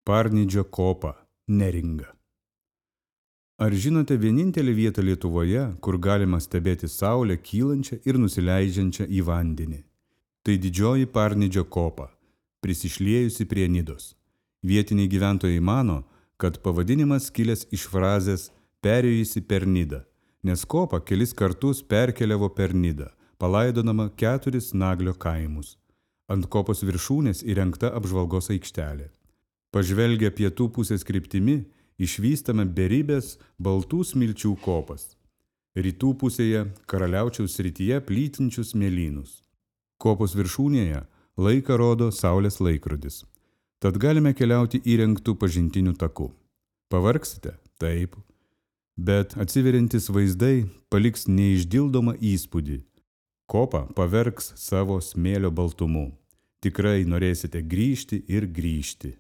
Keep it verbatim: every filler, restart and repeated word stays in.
Parnidžio kopa, Neringa. Ar žinote vienintelę vietą Lietuvoje, kur galima stebėti saulę kylančią ir nusileidžiančią į vandenį? Tai didžioji Parnidžio kopa, prisišliejusi prie Nidos. Vietiniai gyventojai mano, kad pavadinimas kilęs iš frazės perėjusi per Nidą, nes kopa kelis kartus perkeliavo per Nidą, palaidodama keturis Naglio kaimus. Ant kopos viršūnės įrengta apžvalgos aikštelė. Pažvelgę pietų pusės kryptimi, išvystame beribės baltų smilčių kopas. Rytų pusėje Karaliaučiaus srityje plytinčius mėlynus. Kopos viršūnėje laiką rodo saulės laikrodis. Tad galime keliauti įrengtų pažintinių takų. Pavargsite? Taip. Bet atsiveriantis vaizdai paliks neišdildomą įspūdį. Kopa pavergs savo smėlio baltumu. Tikrai norėsite grįžti ir grįžti.